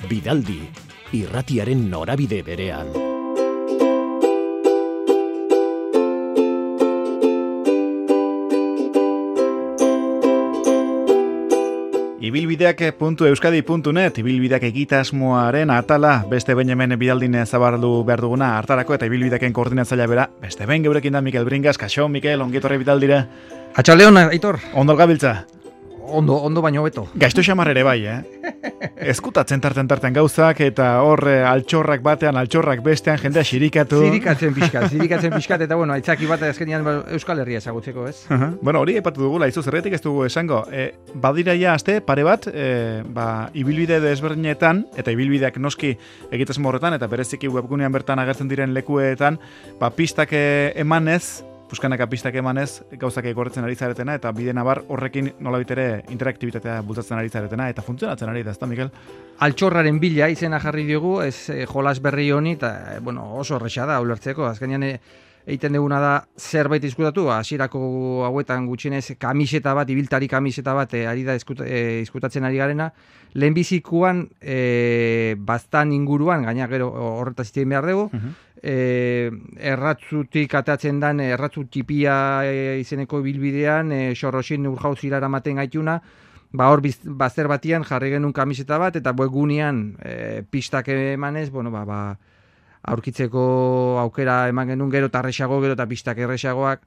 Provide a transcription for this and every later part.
Bidaldi, irratiaren norabide berean. Ibilbideak.euskadi.net, ibilbideak egitasmoaren atala, beste behin hemen Bidaldin zabaldu behar duguna hartarako, eta ibilbideaken koordinatzailea bera, beste behin geurekin da Mikel Bringas. Kaixo, Mikel, ongietorri Bidaldira. Atxaldeon, Aitor. Ondo gabiltza? Ondo baino beto. Gaizto xamar ere bai, Eskutatzen tarten gauzak, eta hor altxorrak batean, altxorrak bestean, jendea xirikatu. Zirikatzen pixkat, eta bueno, aitzaki bat azkenian Euskal Herria ezagutzeko, ez? Bueno, hori epatu dugula, izu zerretik ez dugu esango. Badiraia aste, pare bat, ibilbide desberdinetan, eta ibilbideak noski egitasmo horretan, eta bereziki webgunean bertan agertzen diren lekuetan, pistak emanez, puskanaka pistak emanez, gauzak egorretzen ari zaretena, eta bide nabar horrekin nolabait ere interaktibitatea bultzatzen ari zaretena, eta funtzionatzen ari da, ezta, Mikel? Altxorraren bila izena jarri diogu, ez jolas berri honi, eta oso horreza da, ulertzeko, azkenean egiten duguna da zerbait izkutatu, hasierako hauetan gutxienez kamiseta bat, ibiltari kamiseta bat ari da izkutatzen ari garena, lehenbizikuan baztan inguruan, gaina gero horretaz izan behar dugu, erratzutik atatzen dan, erratzu txipia izeneko ibilbidean, xorroxin urjauzira eramaten gaituna, hor bazter batian jarri genuen kamiseta bat, eta webgunean pistak emanez, aurkitzeko aukera eman genuen gero eta arrexago, gero eta pistak errexagoak.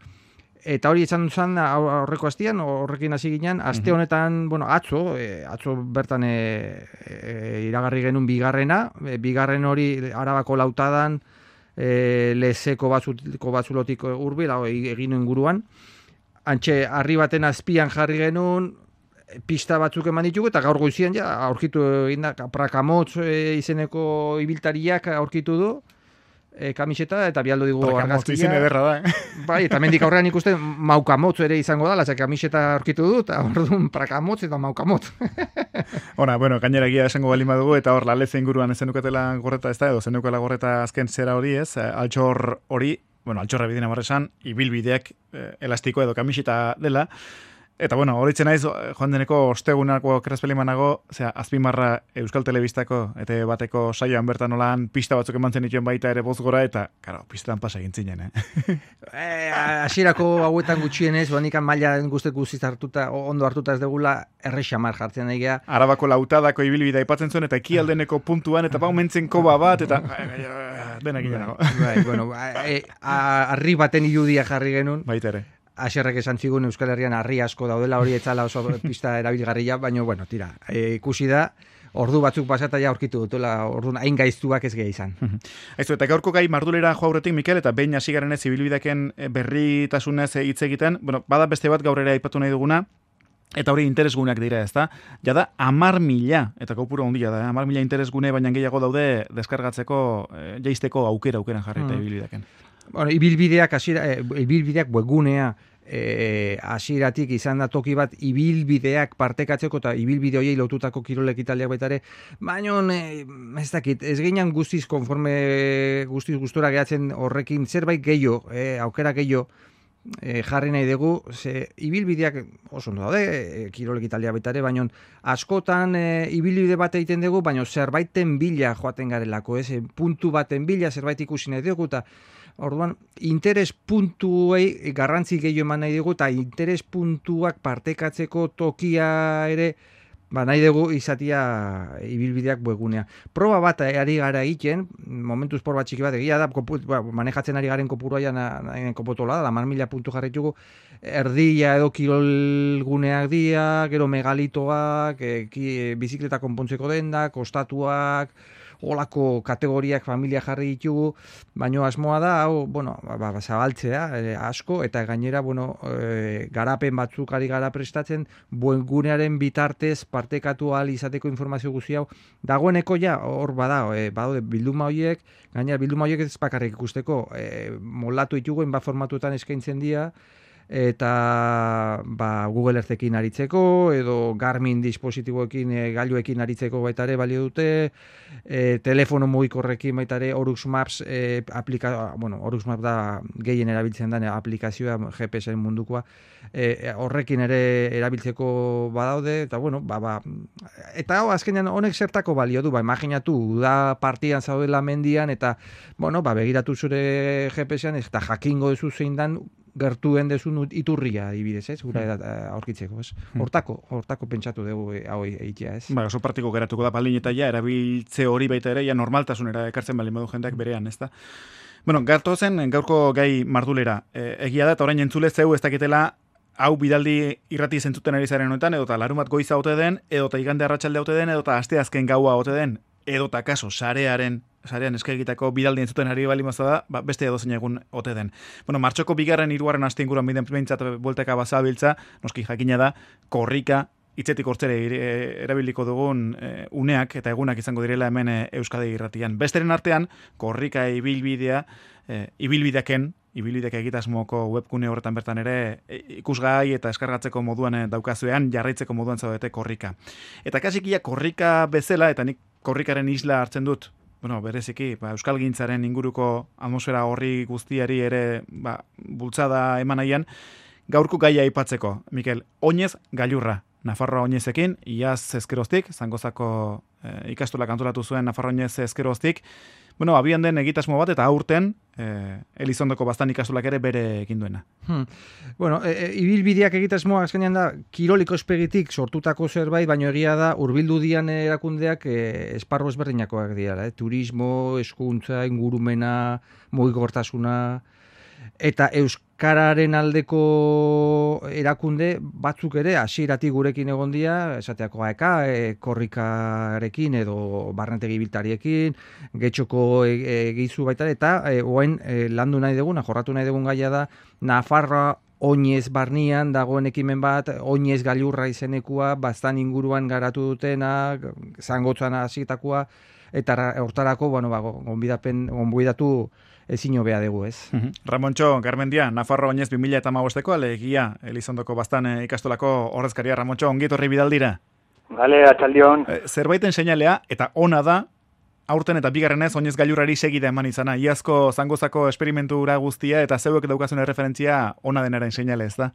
Eta hori izan duzan aurreko astian, horrekin hasi ginen, aste honetan, atzo bertan iragarri genuen bigarren hori Arabako Lautadan, lezeko batzulotik hurbil, egin inguruan. Antxe, harri baten azpian jarri genuen, pista batzuk eman ditugu, eta gaur goizian aurkitu egin da, Prakamotz izeneko ibiltariak aurkitu du, kamiseta, eta bialdo digu argazkia. Prakamotz izen ederra da, Bai, eta mendik aurrean ikusten Maukamotz ere izango da, latza kamiseta aurkitu du, eta orduan Prakamotz eta Maukamotz. Gainera egia esango balima dugu, eta hor laleze inguruan zenukatela gorreta ez da, edo zenukatela gorreta azken zera hori ez, altxor hori, altxorra bidina marresan, ibilbideak elastiko edo kamiseta dela. Eta horitzen naiz, joan deneko ostegunako kerazpelimanago, azpimarra Euskal Telebistako eta bateko saioan bertan olan pista batzuk emantzen dituen baita ere bozgora, eta, pistetan pasa egin zinen, Hasierako hauetan gutxienez, banikan maila guztek guztiz hartuta, ondo hartuta ez degula, errexamar jartzen egea. Arabako Lautadako ibilbidea aipatzen zuen, eta ekialdeneko puntuan, eta mentzen koba bat, eta denak ginago. Arri baten irudia jarri genuen. Baita ere. Aserrek esan zigun Euskal Herrian harri asko daudela, hori etzala oso pista erabilgarria, baina, tira, ikusi da, ordu batzuk pasata aurkitu dutela, orduan hain gaiztuak ez gehi izan. Aizu, eta gaurko gai mardulera jo aurretik, Mikel, eta behin hasi garen ez ibilbideaken berritasunez hitz egiten, bada beste bat gaur ere aipatu nahi duguna, eta hori interesguneak dira, ezta? Jada 10.000, eta kopuru handia da, 10.000 interesgune, baina gehiago daude deskargatzeko, jaisteko aukeran jarri eta ibilbideaken. Ibilbideak webgunea hasieratik izan da toki bat ibilbideak partekatzeko eta ibilbide horiei lotutako kirol ekitaldiak baita ere, baina ez dakit, ez ginen guztiz gustora gehatzen horrekin zerbait gehiago, aukera gehiago jarri nahi dugu, ibilbideak oso ondo daude, kirol ekitaldiak baita ere, baina askotan ibilbide bat egiten dugu, baina zerbaiten bila joaten garelako, puntu baten bila zerbait ikusi nahi dugu, eta orduan, interes puntuei garrantzi gehiago eman nahi dugu, eta interes puntuak partekatzeko tokia ere, nahi dugu izatia ibilbideak webgunea. Proba bat ari gara egiten, momentuz por bat txiki bat egia da, manejatzen ari garen kopuruaian kopotola da, 10.000 puntu jarritugu, erdia edo kirolguneak dia, gero megalitoak, bizikleta konpontzeko dendak, ostatuak, olako kategoriak familia jarri ditugu, baino asmoa da, zabaltzea asko, eta gainera, garapen batzuk ari gara prestatzen, webgunearen bitartez partekatu ahal izateko informazio guzti hau, dagoeneko hor badaude bilduma horiek, gainera bilduma horiek ez bakarrik ikusteko, moldatu ditugu, enbat formatuetan eskaintzen dira, eta Google Earthekin aritzeko, edo Garmin dispositiboekin, gailuekin aritzeko baita ere balio dute, telefono mugikorrekin baita ere Orux Maps Orux Maps da gehien erabiltzen den aplikazioa GPS-en mundukoa, horrekin ere erabiltzeko badaude, eta eta azkenean honek zertako balio du, imaginatu, da partian zaudela mendian, eta begiratu zure GPS-ean, eta jakingo duzu zein dan gertuen dezun iturria adibidez, ez? Gura aurkitzeko, ez? Hortako pentsatu dugu hau egitea, ez? Oso partiko geratuko da baldin eta erabiltze hori baita ere, normaltasunera ekartzen baldin badu jendeak berean, ez da? Garto zen gaurko gai mardulera. Egia da, eta orain entzule zeu ez dakitela hau bidaldi irrati zentzuten ari zaren honetan, edota larumat goiza ote den, edota igande arratsalde ote den, edota aste azken gaua ote den, edota kaso sarean eskaegitako bidaldi entzuten ari bali mazada, beste edozein egun ote den. Martxoko 2., 3. aste inguruan behintzat bueltaka bazabiltza, noski jakina da, korrika, hitzetik hortzere erabiliko dugun uneak eta egunak izango direla hemen Euskadi irratian. Besteren artean, korrika ibilbideak egitasmoko webgune horretan bertan ere ikusgai eta eskargatzeko moduan daukazuean, jarraitzeko moduan zaudete korrika. Eta kasikia korrika bezala, eta nik korrikaren isla hartzen dut, bereziki, euskalgintzaren inguruko atmosfera horri guztiari ere bultzada eman nahian, gaurko gaia aipatzeko, Mikel, oinez gailurra. Nafarroa oinezekin, iaz ezkeroztik, Zangozako ikastolak antolatu zuen Nafarroa oinez ezkeroztik, abian den egitasmo bat eta aurten Elizondoko bastan ikastolak ere bere egin duena. Ibilbideak egitasmoa azkenean da kiroliko espegitik sortutako zerbait, baina egia da hurbildu dian erakundeak esparru ezberdinakoak dira, turismo, hezkuntza, ingurumena, mugikortasuna, eta euskararen aldeko erakunde batzuk ere hasieratik gurekin egon dira, esateako korrikarekin edo barnetegi biltariekin, getxoko egizu baita, eta oain landu nahi duguna, jorratu nahi dugun gaia da, Nafarroa oinez barnian dagoen ekimen bat, oinez gailurra izenekua, bastan inguruan garatu dutena, Zangotzan hasitakoa, eta hortarako, gonbidatu ezin hobea dugu, ez? Ramontxo Garmendia, Nafarroa oinez 2015ko alegia Elizondoko bastan ikastolako ordezkaria. Ramontxo, ongi etorri bidaldira. Bale, atxaldion. Zerbaiten seinalea, eta ona da, aurten eta bigarrenez oinez gailurrari segida eman izana. Iazko Zangozako esperimentura guztia eta zeuek daukazun referentzia ona denaren seinale, ez da?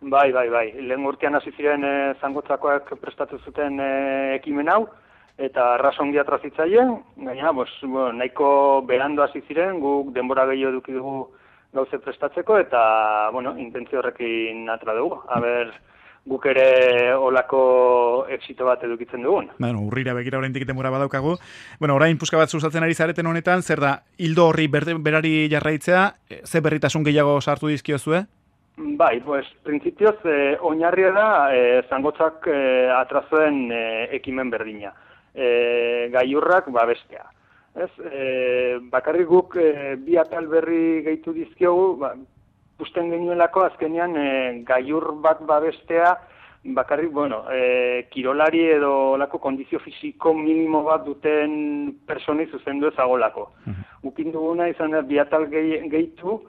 Bai. Lehen urtean hasi ziren Zangotzakoak prestatu zuten ekimen hau, eta arrasongi atrazitzaien, gaina, nahiko berando hasi ziren, guk denbora gehiago eduki dugu gauze prestatzeko, eta, intentzio horrekin atra dugu. Guk ere olako exito bat edukitzen dugun. Urrira begira oraindik denbora badaukagu. Orain puska bat sustatzen ari zareten honetan, zer da, hildo horri berari jarraitzea, ze berritasun gehiago sartu dizkiozue? Bai, printzipioz, oinarria da, Zangotzak atrazoen ekimen berdina. Gailurrak babestea. Bakarrik guk bi atal berri gehitu dizkiogu, usten genuelako azkenean gailur bat babestea, bakarrik, kirolari edo lako kondizio fisiko minimo bat duten personi zuzendu ezagolako. Ukin duguna izan da bi atal gehitu,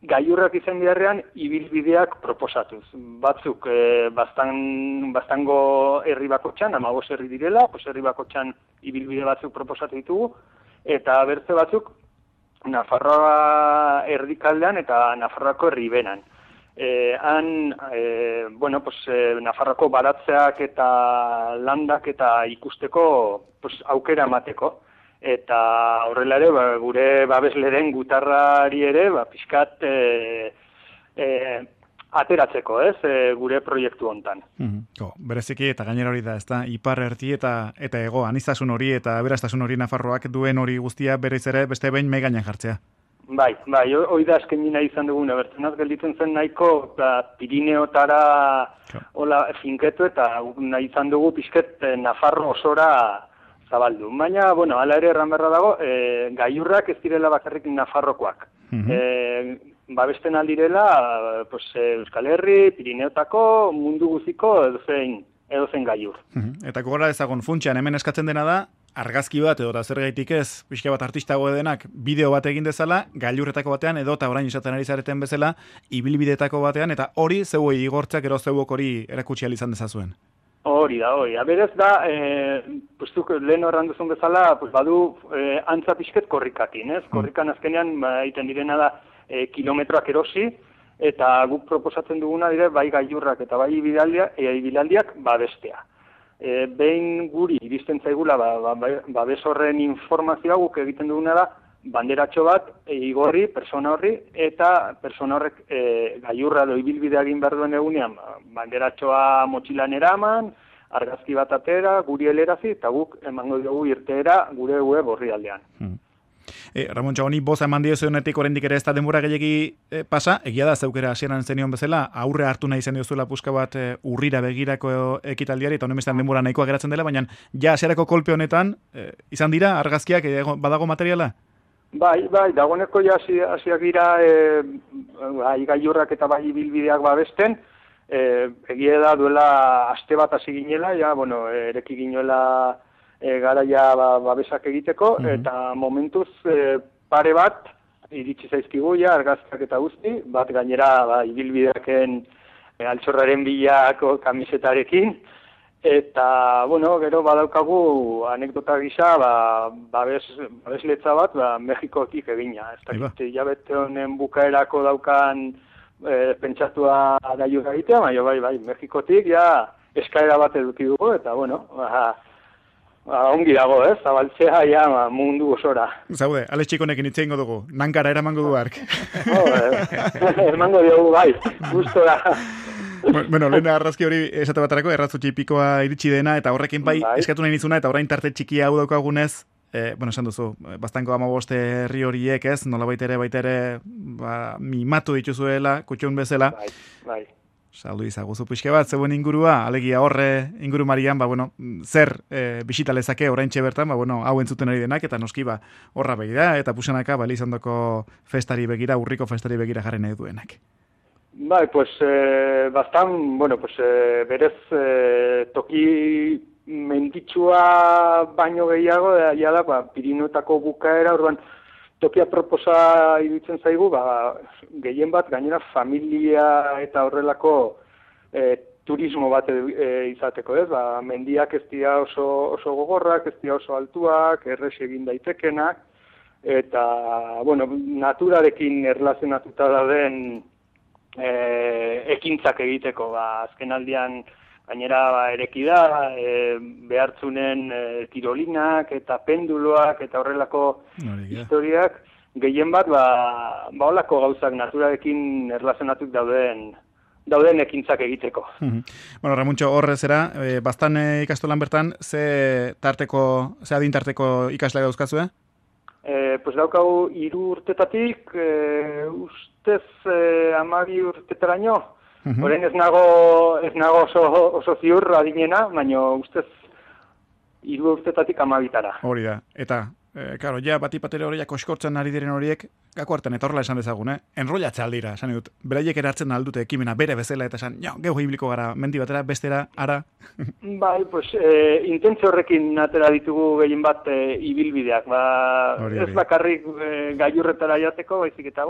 gailurrak izan beharrean ibilbideak proposatuz. Batzuk bastango herri bakotxan, 15 herri direla, herri bakotxan ibilbide batzuk proposatu ditugu, eta bertze batzuk Nafarroa erdikaldean eta Nafarroako herribenan. Nafarroako baratzeak eta landak eta ikusteko aukera emateko. Eta horrela ere, gure babesleren gutarrari ere, pixkat ateratzeko, gure proiektu hontan. Bereziki eta gainera hori da, ez da, ipar erdi eta ego, anistasun hori eta aberastasun hori Nafarroak duen hori guztia berriz ere beste behin megainan jartzea. Bai, hori da eskenina izan duguna, bertzenaz gelditzen zen nahiko Pirineotara finketu eta nahi izan dugu pixket Nafarro osora zabaldu. Baina, hala ere erran berra dago, gailurrak ez direla bakarrik Nafarrokoak. Babesten aldirela, Euskal Herri, Pirineotako, mundu guziko edozein gailur. Eta gogora ezagun funtsean hemen eskatzen dena da, argazki bat edo zergaitik ez, pixka bat artistago denak bideo bat egin dezala, gailurretako batean edo eta orain esaten ari zareten bezala, ibilbidetako batean, eta hori zeuei igortzak ero zeuok hori erakutsi izan dezazuen. Hori da. Berez da, zuk lehen horran duzun bezala, badu antza pixket korrikatin, ez? Korrikan azkenean, egiten direna da, kilometroak erosi, eta guk proposatzen duguna dire, bai gailurrak eta bai ibilaldiak babestea. Behin guri iristen zaigula babes horren informazioa guk egiten duguna da banderatxo bat igorri persona horri eta persona horrek gailurra edo ibilbidea egin behar duen egunean banderatxoa motxilan eraman, argazki bat atera, guri helerazi eta guk emango dugu irteera gure web orrialdean. Ramon Txagoni, boza eman diozuenetik oraindik ere ez da denbora gehiagi pasa, egia da zeukera hasieran zenion bezala, aurre hartu nahi zen diozuela puska bat urrira begirako ekitaldiari, eta honen bestean denbora nahikoa geratzen dela, baina ja hasierako kolpe honetan, izan dira argazkiak, badago materiala? Bai, dagoeneko ja hasiak dira gailurrak eta bai ibilbideak babesten, egia da duela aste bat hasi ginela, ereki ginuela garaia babesak egiteko, eta momentuz pare bat iritsi zaizkigu argazkiak eta guzti, bat gainera ibilbideaken altxorraren bilako kamisetarekin, eta, gero badaukagu anekdota gisa babesletza bat Mexikotik egina. Ez dakit, hilabete honen bukaerako daukan pentsatua gailurra egitea, bai, Mexikotik eskaera bat eduki dugu, eta, ongi dago, zabaltzea mundu osora. Zaude, Alex Txikonekin hitz egingo dugu, nankara eramango du hark. Emango diogu, bai, gustora. Bueno, lehen arrazki hori esate batarako, erratzu txipikoa iritsi dena, eta horrekin bai eskatu nahi nizuna, eta orain tarte txikia hau daukagunez, esan duzu, bastanko 15 herri horiek ez, nola baitere, mimatu dituzuela, kutxun bezala. Bai. Saldu izaguzu pixke bat, zeuen ingurua, alegia horre inguru marian, zer bisita lezake oraintxe bertan, hau entzuten ari denak, eta noski horra begira, eta pusanaka Elizondoko festari begira, urriko festari begira jarri nahi duenak. Bai, berez toki menditsua baino gehiago, da, Pirineotako bukaera, orduan, tokia proposa iruditzen zaigu, gehien bat, gainera familia eta horrelako turismo bat izateko, ez? Mendiak ez dira oso gogorrak, ez dira oso altuak, errez egin daitekenak, eta, naturarekin erlazionatuta dauden ekintzak egiteko, azken aldian gainera ereki da, behartzunen tirolinak eta penduloak eta horrelako historiak, gehien bat, holako gauzak naturarekin erlazionatut dauden ekintzak egiteko. Ramuntxo, horre zera, bastan ikastolan bertan, ze adintarteko ikasle dauzkazue? Daukagu 3 urtetatik, ustez 12 urtetaraino, Horein ez nago oso ziur adinena, baina ustez 3 urtetatik 12. Hori da, eta, batipatere horiak oskortzen ari diren horiek, gako hartan, eta horrela esan dezagun, enrollatzea aldira, esan dut, beraiek eratzen aldute ekimena bere bezala, eta esan, gehu ibliko gara, mendi batera, bestera, ara. Bai, intentzio horrekin atera ditugu gehien bat ibilbideak, ez bakarrik gailurretara jateko, baizik eta,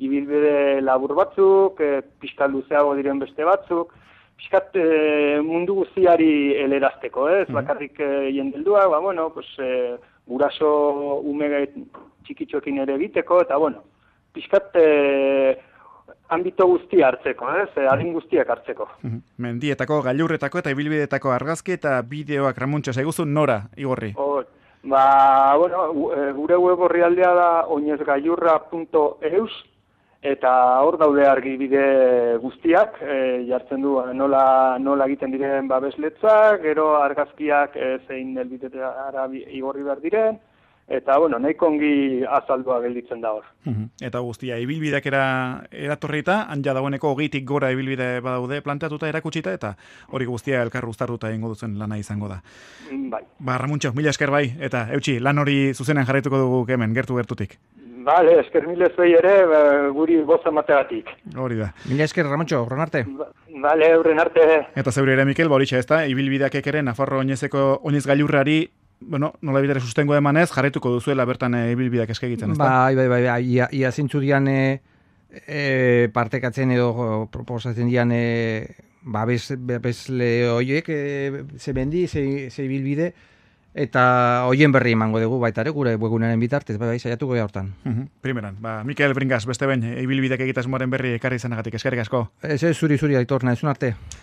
ibilbide labur batzuk, pixka luzeago diren beste batzuk, pixkat mundu guztiari elerazteko, ez bakarrik jendeldua, guraso ume txikitxoekin ere egiteko, eta pixkat ambito guztia hartzeko, adin guztiak hartzeko. Mendietako, gailurretako eta ibilbidetako argazki eta bideoak Ramuntxo zaiguzu nora, igorri? Gure web orrialdea da oinezgailurra.eus, eta hor daude argibide guztiak, jartzen du nola egiten diren babesletzak, gero argazkiak zein helbidetara igorri behar diren, eta nahiko ongi azaldua gelditzen da hor. Eta guztia, ibilbideak eratorrita, anja dagoeneko 20tik gora ibilbide badaude planteatuta erakutsita, eta hori guztia elkar uztartuta egingo duzen lana izango da. Bai. Ramuntxo, mila esker bai, eta eutxi, lan hori zuzenean jarraituko dugu hemen, gertutik. Bale, esker mila zuei ere, guri boza mategatik. Hori da. Mila esker, Ramontxo, horren arte. Bale, horren arte. Eta zeure ere, Mikel, horixe ez da, ibilbideak ekeren, Nafarro oinez gailurrari bueno, nola bidere sustengo emanez, jarraituko duzuela bertan ibilbideak eskegiten, ez da? Bai, ia zintzu dian partekatzen edo proposatzen dian babesle horiek, ze bendi, ze ibilbide, eta hoien berri emango dugu baita ere, gure webgunaren bitartez, bai, saiatuko gara hortan. Primeran, Mikel Bringas, beste behin, ibilbideak egitasmoaren berri ekarri izanagatik, eskerrik asko. Ez zuri, Aitor, nahizun arte.